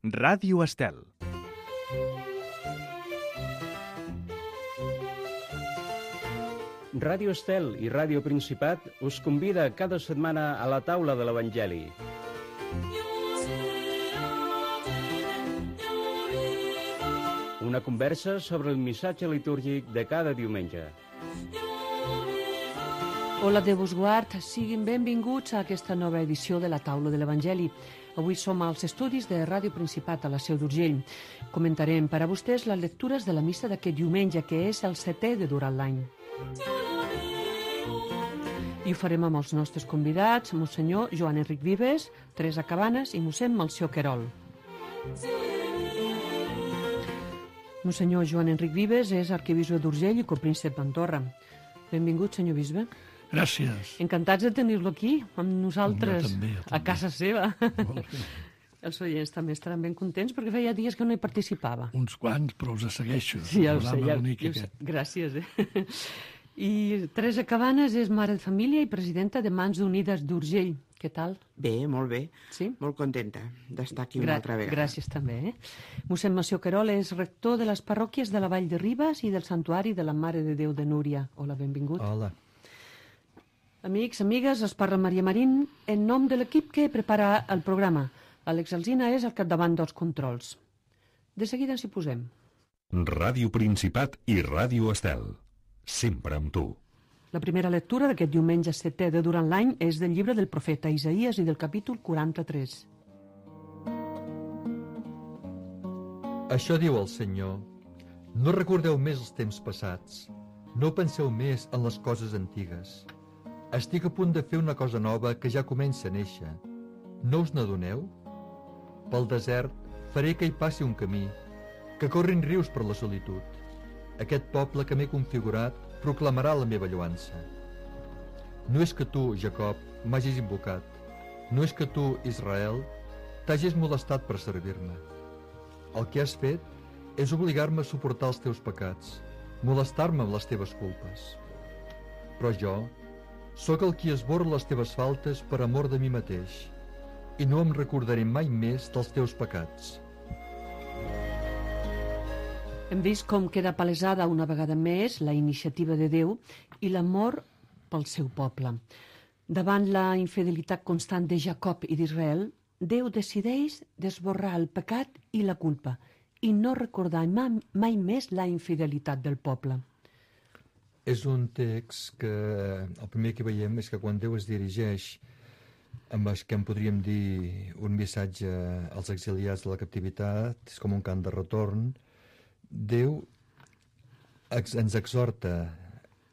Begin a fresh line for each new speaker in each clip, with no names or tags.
Ràdio Estel.
Ràdio Estel i Ràdio Principat us convida cada setmana a la taula de l'Evangeli. Una conversa sobre el missatge litúrgic de cada diumenge.
Hola, Déu vos guard, siguin benvinguts a aquesta nova edició de la taula de l'Evangeli. Avui som als estudis de Ràdio Principat a la Seu d'Urgell. Comentarem per a vostès les lectures de la missa d'aquest diumenge, que és el 7è de durant l'any. I ho farem amb els nostres convidats, Monsenyor Joan Enric Vives, Teresa Cabanes i mossèn Melcior Querol. Monsenyor Joan Enric Vives és arquebisbe d'Urgell i copríncep d'Andorra. Benvingut, senyor bisbe.
Gràcies.
Encantats de tenir-lo aquí, amb nosaltres,
jo també.
a casa seva.
Molt bé.
Els oients també estaran ben contents perquè feia dies que no hi participava.
Uns quants, però us segueixo.
Sí, ja ho sé.
Ja...
Gràcies. I Teresa Cabanes és mare de família i presidenta de Mans Unides d'Urgell. Què tal?
Bé, molt bé.
Sí?
Molt contenta d'estar aquí una altra vegada.
Gràcies també. Mossèn Melcior Querol és rector de les parròquies de la Vall de Ribes i del Santuari de la Mare de Déu de Núria. Hola, benvingut.
Hola.
Amics, amigues, es parla Maria Marín en nom de l'equip que prepara el programa. Àlex Alsina és al capdavant dels controls. De seguida ens hi posem.
Ràdio Principat i Ràdio Estel. Sempre amb tu.
La primera lectura d'aquest diumenge 7è de durant l'any és del llibre del profeta Isaïes i del capítol 43.
Això diu el Senyor: no recordeu més els temps passats, no penseu més en les coses antigues. Estic a punt de fer una cosa nova que ja comença a néixer. No us n'adoneu? Pel desert faré que hi passi un camí, que corrin rius per la solitud. Aquest poble que m'he configurat proclamarà la meva lloança. No és que tu, Jacob, m'hagis invocat. No és que tu, Israel, t'hagis molestat per servir-me. El que has fet és obligar-me a suportar els teus pecats, molestar-me amb les teves culpes. Però jo sóc el qui esborra les teves faltes per amor de mi mateix, i no em recordaré mai més dels teus pecats.
Hem vist com queda palesada una vegada més la iniciativa de Déu i l'amor pel seu poble. Davant la infidelitat constant de Jacob i d'Israel, Déu decideix d'esborrar el pecat i la culpa i no recordar mai més la infidelitat del poble.
És un text que el primer que veiem és que quan Déu es dirigeix amb el que en podríem dir un missatge als exiliats de la captivitat, és com un cant de retorn. Déu ens exhorta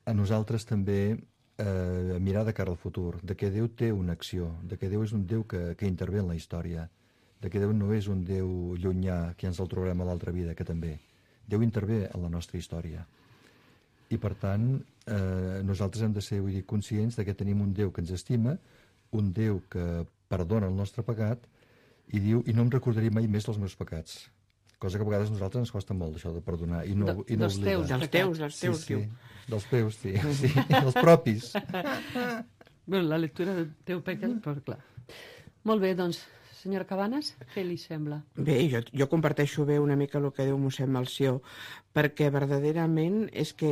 a nosaltres també a mirar de cara al futur, de que Déu té una acció, de que Déu és un Déu que intervé en la història, de que Déu no és un Déu llunyà que ens el trobarem a l'altra vida, que també. Déu intervé en la nostra història. I per tant, nosaltres hem de ser conscients de que tenim un Déu que ens estima, un Déu que perdona el nostre pecat i diu, i no em recordaré mai més dels meus pecats. Cosa que a vegades a nosaltres ens costa molt, això de perdonar i no oblidar.
Dels teus,
sí. Dels teus, sí. Dels propis.
Bé, la lectura del teu pecat, però clar. Molt bé, doncs, senyora Cabanes, què li sembla?
Bé, jo comparteixo bé una mica el que diu mossèn Melcior, perquè verdaderament és que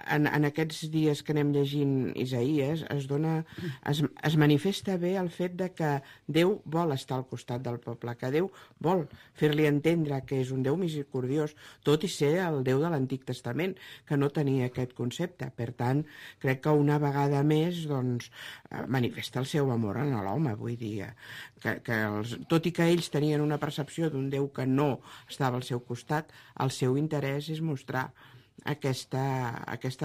en aquests dies que anem llegint Isaïes es manifesta bé el fet de que Déu vol estar al costat del poble, que Déu vol fer-li entendre que és un Déu misericordiós, tot i ser el Déu de l'Antic Testament, que no tenia aquest concepte. Per tant, crec que una vegada més manifesta el seu amor a l'home, vull dir, tot i que ells tenien una percepció d'un Déu que no estava al seu costat, el seu interès és mostrar aquest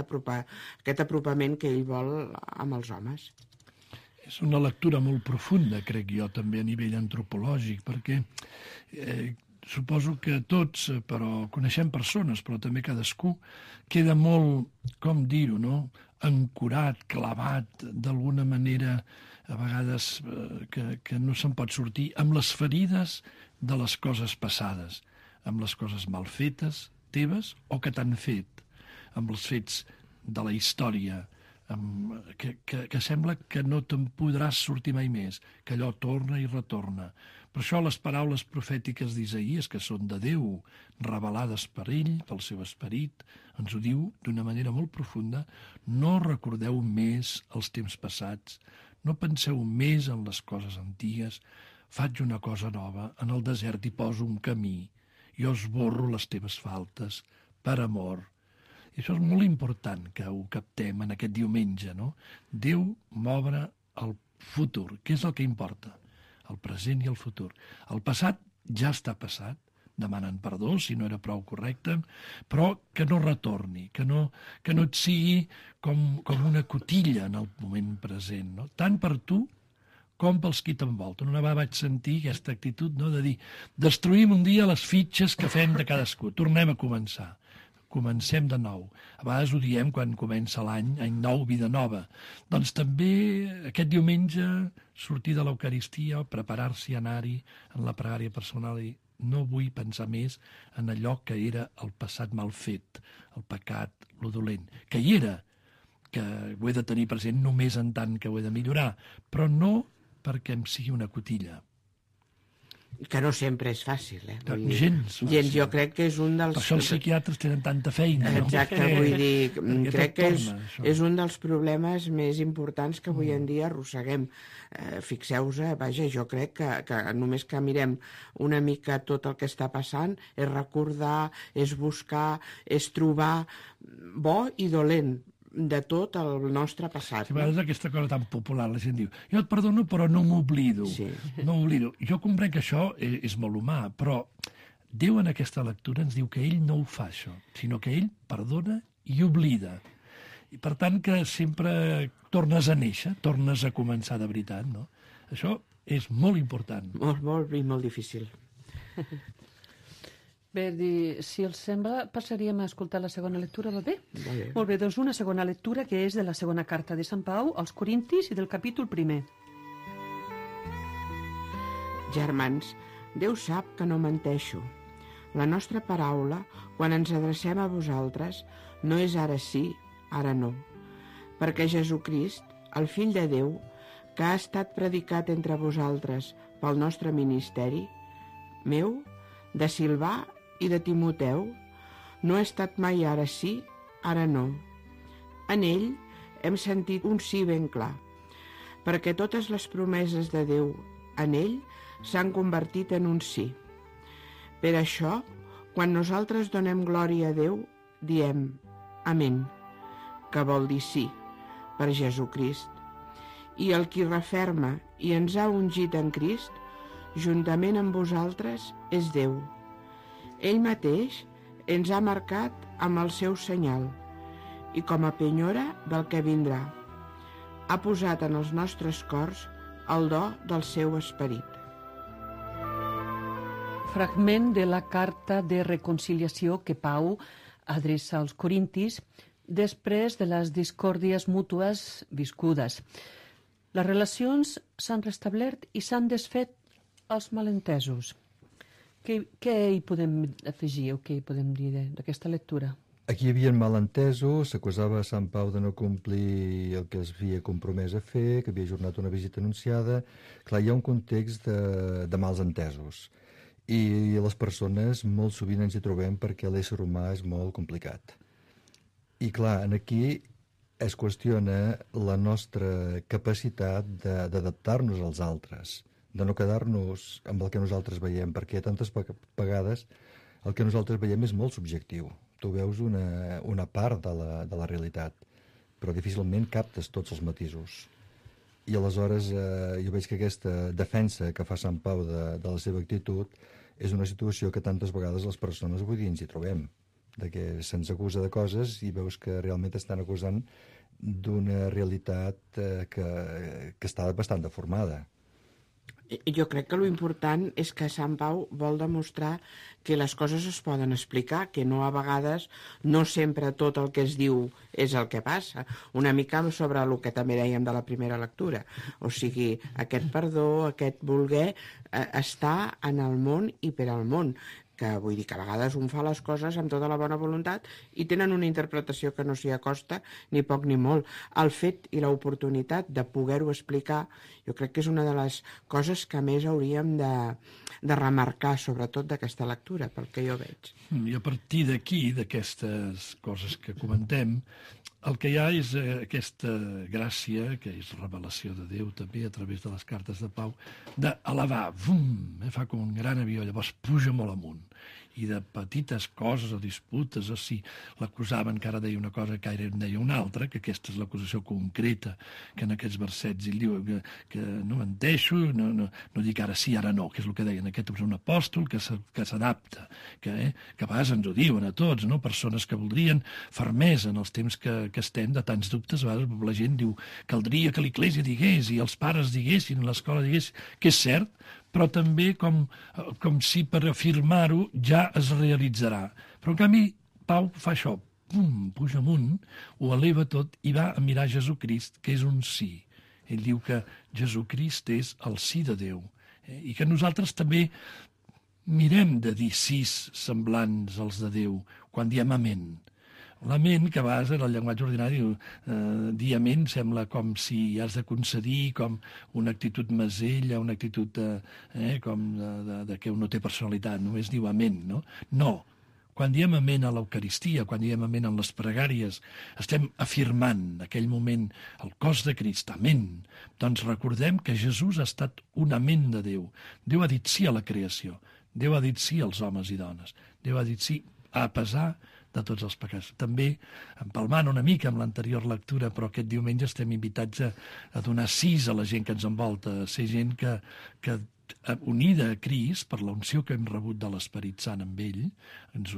apropament que ell vol amb els homes.
És una lectura molt profunda, crec jo, també a nivell antropològic, perquè suposo que tots, però coneixem persones, però també cadascú queda molt, com dir-ho, no?, ancorat, clavat, d'alguna manera, a vegades que no se'n pot sortir, amb les ferides de les coses passades, amb les coses mal fetes, teves, o que t'han fet, amb els fets de la història, que sembla que no te'n podràs sortir mai més, que allò torna i retorna. Per això les paraules profètiques d'Isaïes, que són de Déu, revelades per ell, pel seu esperit, ens ho diu d'una manera molt profunda: no recordeu més els temps passats, no penseu més en les coses antigues, faig una cosa nova, en el desert hi poso un camí, jo esborro les teves faltes, per amor. I això és molt important que ho captem en aquest diumenge, no? Déu m'obre el futur, què és el que importa? El present i el futur. El passat ja està passat, demanen perdó si no era prou correcte, però que no retorni, que no et sigui com una cotilla en el moment present, no? Tant per tu com pels qui t'envolten. Una vegada vaig sentir aquesta actitud, no?, de dir: destruïm un dia les fitxes que fem de cadascú, tornem a començar. Comencem de nou. A vegades ho diem quan comença l'any, any nou, vida nova. Doncs també aquest diumenge sortir de l'Eucaristia, preparar-s'hi a anar-hi en la pregària personal i no vull pensar més en allò que era el passat mal fet, el pecat, lo dolent, que hi era, que ho he de tenir present només en tant que ho he de millorar, però no perquè em sigui una cotilla.
Que no sempre és fàcil,
Vull dir, gens fàcil.
Gens, jo crec que és un dels...
Per això els psiquiatres tenen tanta feina, no?
Exacte, vull dir, crec que és un dels problemes més importants que avui en dia arrosseguem. Fixeu-vos, vaja, jo crec que només que mirem una mica tot el que està passant, és recordar, és buscar, és trobar bo i dolent de tot el nostre passat.
A vegades aquesta cosa tan popular, la gent diu: jo et perdono però no m'oblido.
Sí.
No m'oblido. Jo comprenc que això és molt humà, però Déu en aquesta lectura ens diu que ell no ho fa això, sinó que ell perdona i oblida. I per tant que sempre tornes a néixer, tornes a començar de veritat, no? Això és molt important.
Molt i molt difícil.
Bé, si els sembla, passaríem a escoltar la segona lectura, va bé?
Va bé.
Molt bé, doncs una segona lectura que és de la segona carta de Sant Pau als Corintis i del capítol 1.
Germans, Déu sap que no menteixo. La nostra paraula, quan ens adrecem a vosaltres, no és ara sí, ara no. Perquè Jesucrist, el Fill de Déu, que ha estat predicat entre vosaltres pel nostre ministeri, meu, de Silvà i de Timoteu, no ha estat mai ara sí, ara no. En ell hem sentit un sí ben clar, perquè totes les promeses de Déu en ell s'han convertit en un sí. Per això, quan nosaltres donem glòria a Déu, diem Amén, que vol dir sí, per Jesucrist. I el qui referma i ens ha ungit en Crist, juntament amb vosaltres, és Déu. Ell mateix ens ha marcat amb el seu senyal i com a penyora del que vindrà. Ha posat en els nostres cors el do del seu esperit.
Fragment de la carta de reconciliació que Pau adreça als Corintis després de les discòrdies mútues viscudes. Les relacions s'han restablert i s'han desfet els malentesos. Què hi podem afegir o què hi podem dir d'aquesta lectura?
Aquí hi havia malentesos, s'acusava a Sant Pau de no complir el que es havia compromès a fer, que havia ajornat una visita anunciada. Clar, hi ha un context de mals entesos. I les persones molt sovint ens hi trobem perquè l'ésser humà és molt complicat. I clar, aquí es qüestiona la nostra capacitat d'adaptar-nos als altres, de no quedar-nos amb el que nosaltres veiem, perquè tantes vegades el que nosaltres veiem és molt subjectiu. Tu veus una part de la realitat, però difícilment captes tots els matisos. I aleshores jo veig que aquesta defensa que fa Sant Pau de la seva actitud és una situació que tantes vegades les persones avui dia ens hi trobem, de que se'ns acusa de coses i veus que realment estan acusant d'una realitat que està bastant deformada.
Jo crec que l'important és que Sant Pau vol demostrar que les coses es poden explicar, que no a vegades, no sempre tot el que es diu és el que passa. Una mica sobre el que també dèiem de la primera lectura. O sigui, aquest perdó, aquest voler, està en el món i per al món. que vull dir que a vegades un fa les coses amb tota la bona voluntat i tenen una interpretació que no s'hi acosta ni poc ni molt. El fet i l'oportunitat de poder-ho explicar jo crec que és una de les coses que més hauríem de remarcar, sobretot d'aquesta lectura, pel que jo veig.
I a partir d'aquí, d'aquestes coses que comentem, el que hi ha és aquesta gràcia, que és revelació de Déu també a través de les cartes de Pau, d'elevar, fa com un gran avió, llavors puja molt amunt. I de petites coses o disputes, o si l'acusaven que ara deia una cosa que ara en deia una altra, que aquesta és l'acusació concreta que en aquests versets ell diu que no menteixo, no dic ara sí, ara no, que és el que deien, aquest és un apòstol que s'adapta, que a vegades ens ho diuen a tots, no? Persones que voldrien fermesa en els temps que estem, de tants dubtes, a vegades la gent diu caldria que l'Església digués i els pares diguessin, l'escola digués, que és cert, però també com si per afirmar-ho ja es realitzarà. Però en canvi Pau fa això, puja amunt, ho eleva tot i va a mirar Jesucrist, que és un sí. Ell diu que Jesucrist és el sí de Déu i que nosaltres també mirem de dir sís semblants als de Déu quan diem amén. L'amén, que a vegades en el llenguatge ordinari dir amén sembla com si has de concedir com una actitud mesella, una actitud com de que un no té personalitat, només diu amén, no? No, quan diem amén a l'Eucaristia, quan diem amén en les pregàries, estem afirmant aquell moment el cos de Crist, amén. Doncs recordem que Jesús ha estat un amén de Déu. Déu ha dit sí a la creació, Déu ha dit sí als homes i dones, Déu ha dit sí a pesar de tots els pecats. També, empalmant una mica amb l'anterior lectura, però aquest diumenge estem invitats a donar sis a la gent que ens envolta, a ser gent que unida a Crist, per la unció que hem rebut de l'Esperit Sant amb ell, ens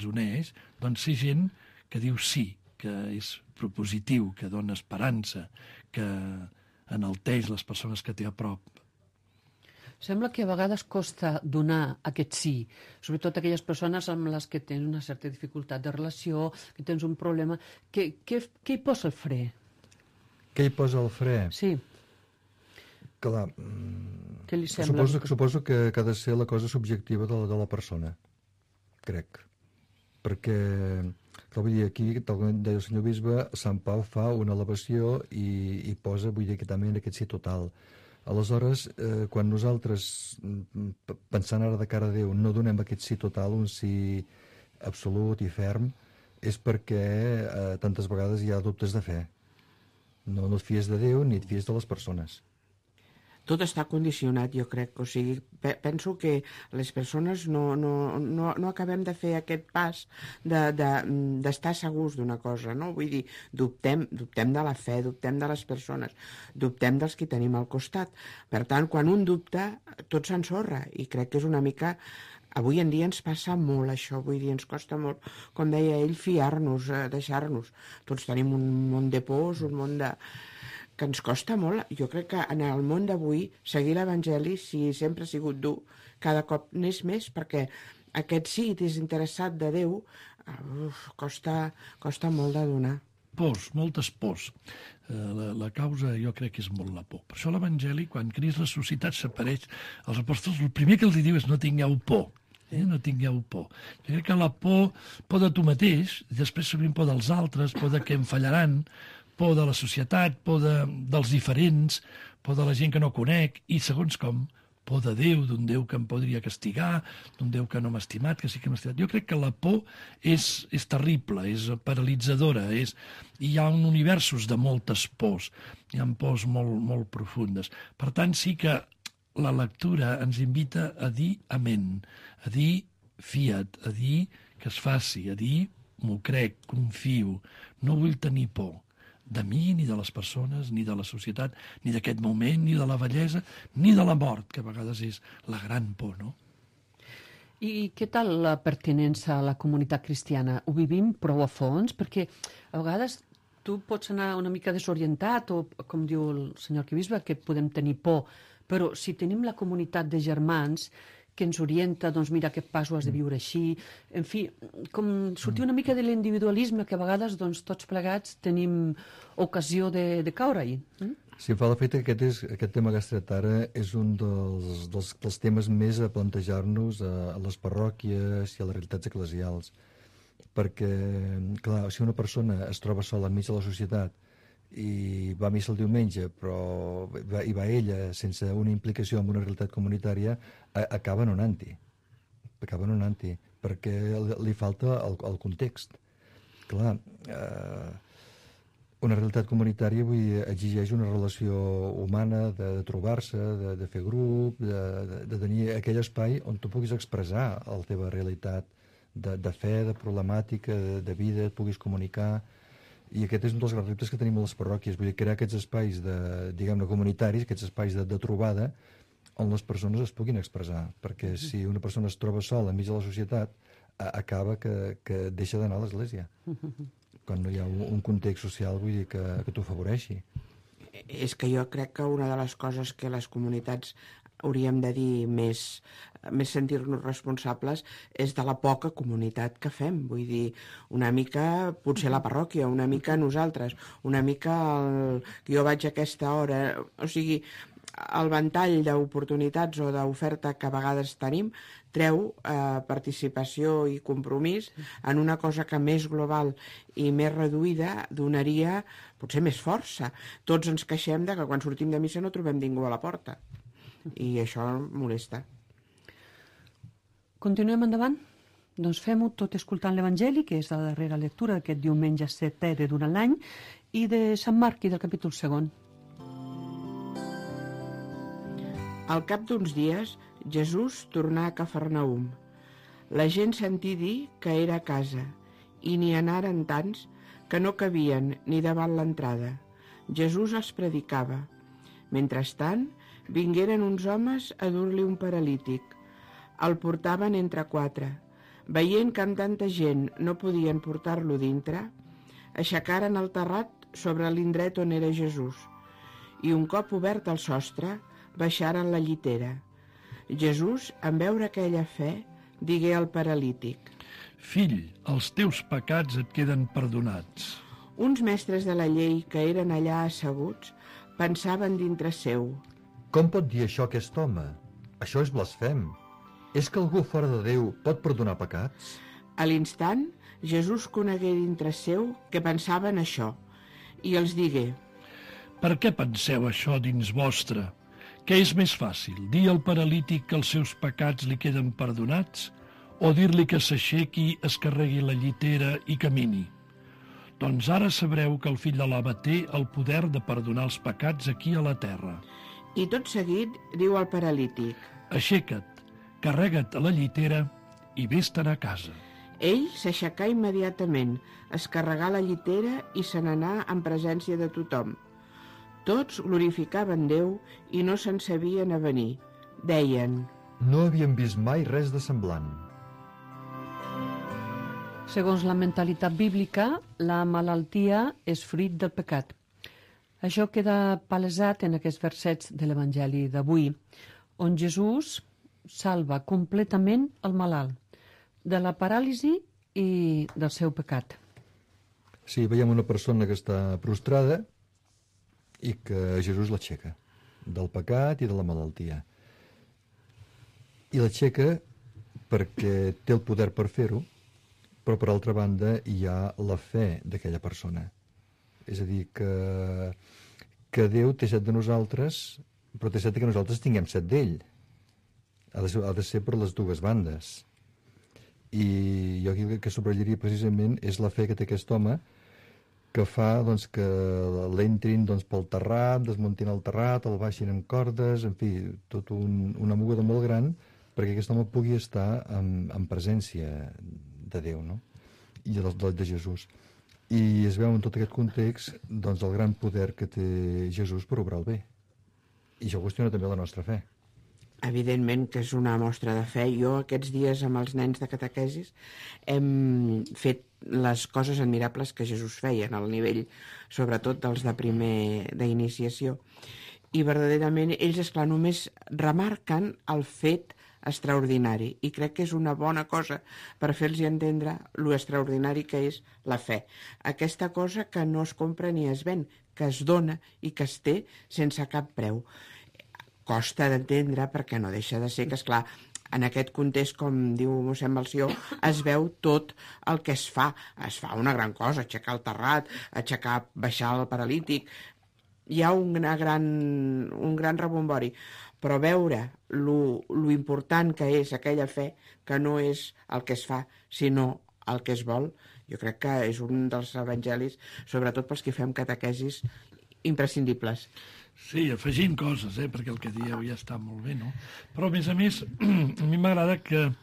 uneix, doncs ser gent que diu sí, que és propositiu, que dona esperança, que enalteix les persones que té a prop.
Sembla que a vegades costa donar aquest sí, sobretot aquelles persones amb les que tens una certa dificultat de relació, que tens un problema. Què hi posa el fre?
Què hi posa el fre?
Sí.
Clar,
Què li sembla?
suposo que ha de ser la cosa subjectiva de la persona, crec. Perquè, vull dir, aquí, tal com deia el senyor bisbe, Sant Pau fa una elevació i posa, vull dir, que també en aquest sí total. Aleshores, quan nosaltres, pensant ara de cara a Déu, no donem aquest sí total, un sí absolut i ferm, és perquè tantes vegades hi ha dubtes de fe. No et fies de Déu ni et fies de les persones.
Tot està condicionat, jo crec. O sigui, penso que les persones no acabem de fer aquest pas d'estar segurs d'una cosa, no? Vull dir, dubtem de la fe, dubtem de les persones, dubtem dels que tenim al costat. Per tant, quan un dubta, tot s'ensorra, i crec que és una mica... Avui en dia ens passa molt això, vull dir, ens costa molt, com deia ell, fiar-nos, deixar-nos. Tots tenim un món de pors, un món de... que ens costa molt. Jo crec que en el món d'avui seguir l'Evangeli, si sempre ha sigut dur, cada cop n'és més, perquè aquest sí desinteressat de Déu costa molt de donar.
Pors, moltes pors. La causa jo crec que és molt la por. Per això l'Evangeli, quan Crist ressuscitat s'apareix als apòstols, el primer que els diu és no tingueu por. No tingueu por. Jo crec que la por de tu mateix, després sovint por dels altres, por de que em fallaran, por de la societat, por dels diferents, por de la gent que no conec, i segons com, por de Déu, d'un Déu que em podria castigar, d'un Déu que no m'ha estimat, que sí que m'ha estimat. Jo crec que la por és terrible, és paralitzadora, i hi ha universos de moltes pors, hi ha pors molt, molt profundes. Per tant, sí que la lectura ens invita a dir amén, a dir fiat, a dir que es faci, a dir m'ho crec, confio, no vull tenir por de mi, ni de les persones, ni de la societat, ni d'aquest moment, ni de la vellesa, ni de la mort, que a vegades és la gran por, no?
I què tal la pertinença a la comunitat cristiana? Ho vivim prou a fons? Perquè a vegades tu pots anar una mica desorientat, o com diu el senyor arquebisbe, que podem tenir por, però si tenim la comunitat de germans que ens orienta, doncs mira, aquest pas ho has de viure així, en fi, com sortir una mica de l'individualisme que a vegades doncs, tots plegats tenim ocasió de caure-hi.
Sí, em fa l'efecte que aquest tema que has tret ara és un dels temes més a plantejar-nos a les parròquies i a les realitats eclesials. Perquè, clar, si una persona es troba sola enmig de la societat i va a missa el diumenge, però hi va ella sense una implicació en una realitat comunitària, acaba anonant-hi. Acaba anonant-hi, perquè li falta el context. Clar, una realitat comunitària exigeix una relació humana, de trobar-se, de fer grup, de tenir aquell espai on tu puguis expressar la teva realitat de fe, de problemàtica, de vida, et puguis comunicar. I aquest és un dels grans reptes que tenim a les parròquies, vull dir, crear aquests espais diguem-ne comunitaris, aquests espais de trobada on les persones es puguin expressar, perquè si una persona es troba sola enmig de la societat, acaba que deixa d'anar a l'església. Quan no hi ha un context social, vull dir, que t'ho afavoreixi.
És que jo crec que una de les coses que les comunitats hauríem de dir més sentir-nos responsables és de la poca comunitat que fem. Vull dir, una mica potser la parròquia, una mica nosaltres, una mica jo vaig a aquesta hora, o sigui, el ventall d'oportunitats o d'oferta que a vegades tenim treu participació i compromís en una cosa que més global i més reduïda donaria potser més força. Tots ens queixem de que quan sortim de missa no trobem ningú a la porta i això molesta.
Continuem endavant? Doncs fem-ho tot escoltant l'Evangeli, que és la darrera lectura d'aquest diumenge setè de durant l'any, i de Sant Marc i del capítol 2.
Al cap d'uns dies, Jesús tornà a Cafarnaum. La gent sentí dir que era a casa, i n'hi anaren tants que no cabien ni davant l'entrada. Jesús els predicava. Mentrestant, vingueren uns homes a dur-li un paralític. El portaven entre 4. Veient que amb tanta gent no podien portar-lo dintre, aixecaren el terrat sobre l'indret on era Jesús, i un cop obert el sostre, baixaren la llitera. Jesús, en veure aquella fe, digué al paralític:
Fill, els teus pecats et queden perdonats.
Uns mestres de la llei que eren allà asseguts pensaven dintre seu:
Com pot dir això aquest home? Això és blasfem. És que algú fora de Déu pot perdonar pecats?
A l'instant, Jesús conegué dintre seu que pensaven això, i els digué:
Per què penseu això dins vostre? Què és més fàcil, dir al paralític que els seus pecats li queden perdonats o dir-li que s'aixequi, es carregui la llitera i camini? Doncs ara sabreu que el fill de l'home té el poder de perdonar els pecats aquí a la terra.
I tot seguit diu al paralític:
Aixeca't, carrega't a la llitera i vés-te'n a casa.
Ell s'aixecà immediatament, es carregà la llitera i se n'anà en presència de tothom. Tots glorificaven Déu i no se'n sabien avenir. Deien:
No havíem vist mai res de semblant.
Segons la mentalitat bíblica, la malaltia és fruit del pecat. Això queda palesat en aquests versets de l'Evangeli d'avui, on Jesús salva completament el malalt de la paràlisi i del seu pecat.
Sí, veiem una persona que està prostrada i que Jesús l'aixeca del pecat i de la malaltia. I l'aixeca perquè té el poder per fer-ho, però per altra banda hi ha la fe d'aquella persona. És a dir, que Déu té set de nosaltres, però té set que nosaltres tinguem set d'ell. Ha de ser per les dues bandes. I jo aquí el que subratllaria precisament és la fe que té aquest home, que fa doncs, que l'entrin doncs, pel terrat, desmuntin el terrat, el baixin amb cordes, en fi, tot una moguda molt gran perquè aquest home pugui estar en presència de Déu, no? I de Jesús. I es veu en tot aquest context doncs, el gran poder que té Jesús per obrar el bé. I això qüestiona també la nostra fe.
Evidentment que és una mostra de fe. Jo aquests dies amb els nens de catequesis hem fet les coses admirables que Jesús feia en el nivell, sobretot dels de primer d'iniciació. I verdaderament ells, esclar, només remarquen el fet extraordinari i crec que és una bona cosa per fer-los entendre lo extraordinari que és la fe. Aquesta cosa que no es compra ni es ven, que es dona i que es té sense cap preu. Costa d'entendre perquè no deixa de ser que, esclar, en aquest context, com diu mossèn Melcior, es veu tot el que es fa. Es fa una gran cosa, aixecar el terrat, baixar el paralític. Hi ha un gran rebombori, però veure lo important que és aquella fe, que no és el que es fa, sinó el que es vol, jo crec que és un dels evangelis, sobretot pels que fem catequesis, imprescindibles.
Sí, afegint coses, perquè el que dieu ja està molt bé, no? Però, a més, a mi m'agrada que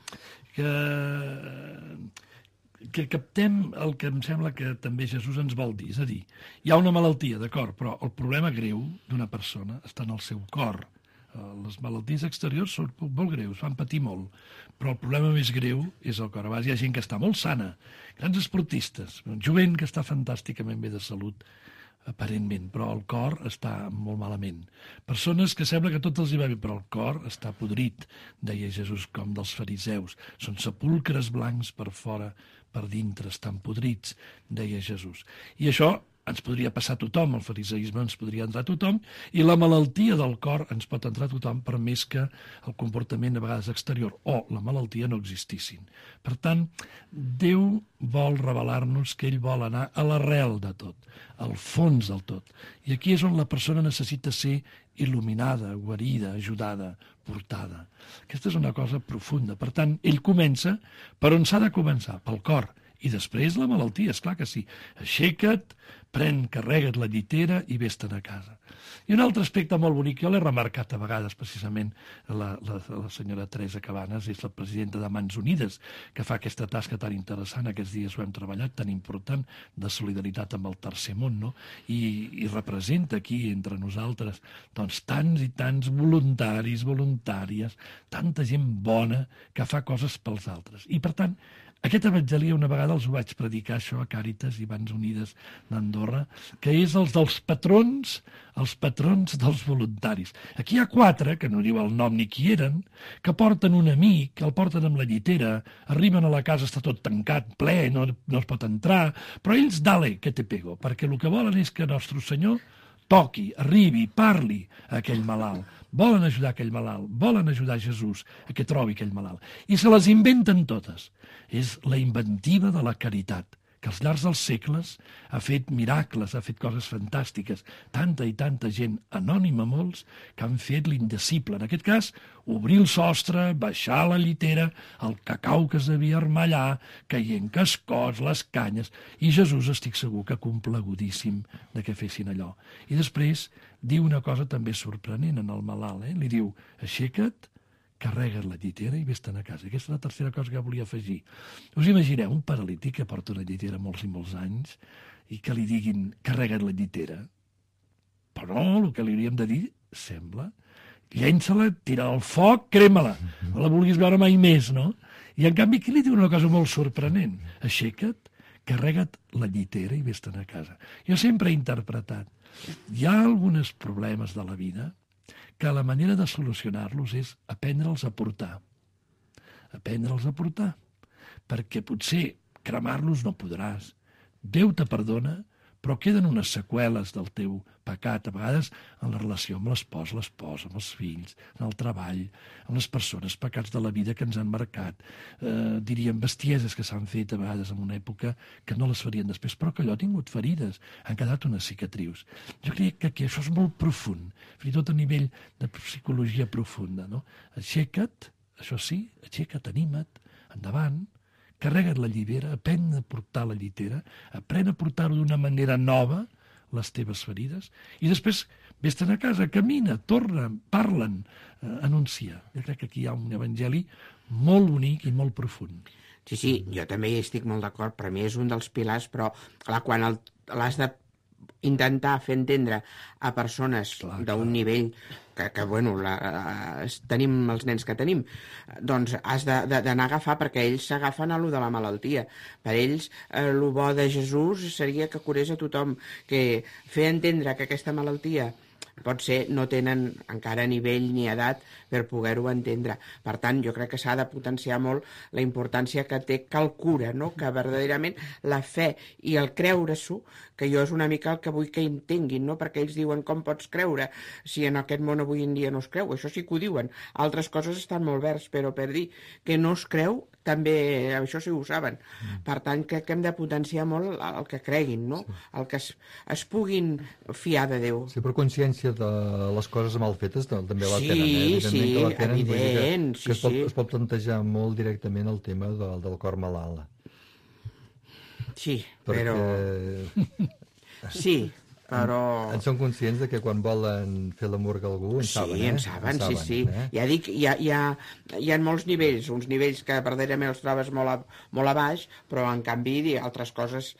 captem el que em sembla que també Jesús ens vol dir. És a dir, hi ha una malaltia, d'acord, però el problema greu d'una persona està en el seu cor. Les malalties exteriors són molt greus, fan patir molt, però el problema més greu és el cor. A vegades hi ha gent que està molt sana, grans esportistes, jovent que està fantàsticament bé de salut, aparentment, però el cor està molt malament. Persones que sembla que tot els hi va bé, però el cor està podrit, deia Jesús, com dels fariseus. Són sepulcres blancs per fora, per dintre, estan podrits, deia Jesús. I això ens podria passar a tothom, el fariseisme ens podria entrar a tothom, i la malaltia del cor ens pot entrar a tothom, per més que el comportament a vegades exterior o la malaltia no existissin. Per tant, Déu vol revelar-nos que ell vol anar a l'arrel de tot, al fons del tot. I aquí és on la persona necessita ser il·luminada, guarida, ajudada, portada. Aquesta és una cosa profunda. Per tant, ell comença per on s'ha de començar, pel cor. I després la malaltia, esclar que sí. Aixeca't, carrega't la llitera i vés-te'n a casa. I un altre aspecte molt bonic, jo l'he remarcat a vegades, precisament, la senyora Teresa Cabanes, és la presidenta de Mans Unides, que fa aquesta tasca tan interessant, aquests dies ho hem treballat, tan important, de solidaritat amb el tercer món, no? I representa aquí, entre nosaltres, doncs, tants i tants voluntaris, voluntàries, tanta gent bona que fa coses pels altres. I, per tant, aquest evangeli una vegada els ho vaig predicar, això, a Càritas i Mans Unides d'Andorra, que és els patrons dels voluntaris. Aquí hi ha 4, que no diu el nom ni qui eren, que porten un amic, el porten amb la llitera, arriben a la casa, està tot tancat, ple, no es pot entrar, però ells, dale, que te pego, perquè el que volen és que nostre Senyor toqui, arribi, parli a aquell malalt. Volen ajudar aquell malalt, volen ajudar Jesús a que trobi aquell malalt. I se les inventen totes. És la inventiva de la caritat, que als llargs dels segles ha fet miracles, ha fet coses fantàstiques. Tanta i tanta gent, anònima molts, que han fet l'indecible. En aquest cas, obrir el sostre, baixar la llitera, el cacau que es devia armar allà, caient cascots, les canyes, i Jesús, estic segur que complagudíssim de que fessin allò. I després diu una cosa també sorprenent en el malalt, li diu, aixeca't, carrega't la llitera i vés-te'n a casa. Aquesta és la tercera cosa que volia afegir. Us imagineu un paralític que porta una llitera molts i molts anys i que li diguin carrega't la llitera? Però no, el que li hauríem de dir, sembla, llença-la, tira al foc, crema-la. No la vulguis veure mai més, no? I en canvi aquí li diu una cosa molt sorprenent. Aixeca't, carrega't la llitera i vés-te'n a casa. Jo sempre he interpretat. Hi ha alguns problemes de la vida que la manera de solucionar-los és aprendre'ls a portar. Aprendre'ls a portar. Perquè potser cremar-los no podràs. Déu te perdona, però queden unes seqüeles del teu pecat, a vegades en la relació amb l'espòs, amb els fills, en el treball, amb les persones, pecats de la vida que ens han marcat, diríem bestieses que s'han fet a vegades en una època que no les farien després, però que allò ha tingut ferides, han quedat unes cicatrius. Jo crec que això és molt profund, fins i tot a nivell de psicologia profunda, no? Aixeca't, això sí, aixeca't, anima't, endavant, carrega't la llitera, aprèn a portar la llitera, aprèn a portar-ho d'una manera nova, les teves ferides, i després vés-te'n a casa, camina, torna, parlen, anuncia. Jo crec que aquí hi ha un evangeli molt bonic i molt profund.
Sí, jo també hi estic molt d'acord, per mi és un dels pilars, però clar, quan l'has de intentar fer entendre a persones d'un nivell que bueno, tenim els nens que tenim, doncs has d'anar a agafar, perquè ells s'agafen a lo de la malaltia. Per ells, el bo de Jesús seria que curés a tothom, que fer entendre que aquesta malaltia potser no tenen encara nivell ni edat per poder-ho entendre. Per tant, jo crec que s'ha de potenciar molt la importància que té que el cura, no? Que verdaderament la fe i el creure-s'ho, que jo és una mica el que vull que entenguin, no? Perquè ells diuen com pots creure si en aquest món avui en dia no es creu. Això sí que ho diuen. Altres coses estan molt verds, però per dir que no es creu també això sí ho saben. Per tant, crec que hem de potenciar molt el que creguin, no? El que es puguin fiar de Déu.
Sí, però consciència de les coses mal fetes també la
Sí,
tenen, Evidentment
sí,
que la tenen, vull dir
evident,
que
sí,
es pot plantejar molt directament el tema del cor malalt.
Sí,
Perquè
sí, però...
en són conscients de que quan volen fer l'amor a algú en saben,
Sí, en saben, sí. Ja dic, hi ha molts nivells, uns nivells que verdaderament els trobes molt a baix, però en canvi altres coses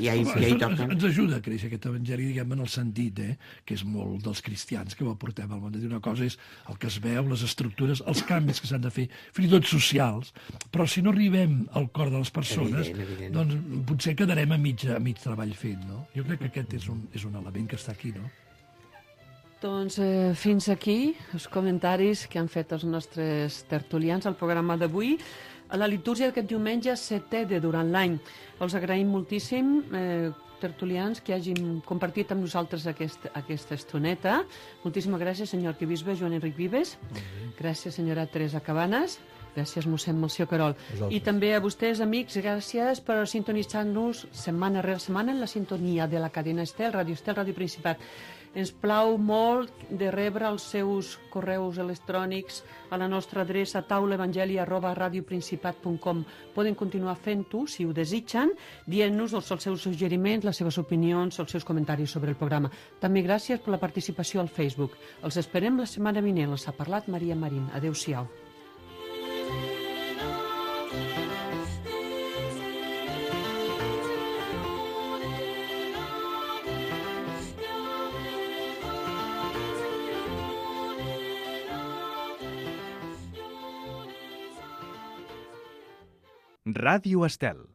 ja hi toquen.
Ens ajuda a créixer aquest evangeli, diguem, en el sentit, que és molt dels cristians que ho aportem al món. Una cosa és el que es veu, les estructures, els canvis que s'han de fer, fins i tot socials, però si no arribem al cor de les persones,
Evident.
doncs potser quedarem a mig treball fet, no? Jo crec que aquest és un element que està aquí, no?
Doncs fins aquí els comentaris que han fet els nostres tertulians al programa d'avui. A la litúrgia d'aquest diumenge, 7è de durant l'any. Els agraïm moltíssim, tertulians, que hagin compartit amb nosaltres aquesta estoneta. Moltíssimes gràcies, senyor arquebisbe Joan Enric Vives. Gràcies, senyora Teresa Cabanes. Gràcies, mossèn Melcior Querol. I també a vostès, amics, gràcies per sintonitzar-nos setmana rere setmana en la sintonia de la cadena Estel, Ràdio Principat. Ens plau molt de rebre els seus correus electrònics a la nostra adreça taulaevangeli@radioprincipat.com. Poden continuar fent-ho, si ho desitgen, dient-nos els seus suggeriments, les seves opinions, els seus comentaris sobre el programa. També gràcies per la participació al Facebook. Els esperem la setmana vinent. Els ha parlat Maria Marín. Adéu-siau.
Ràdio Estel.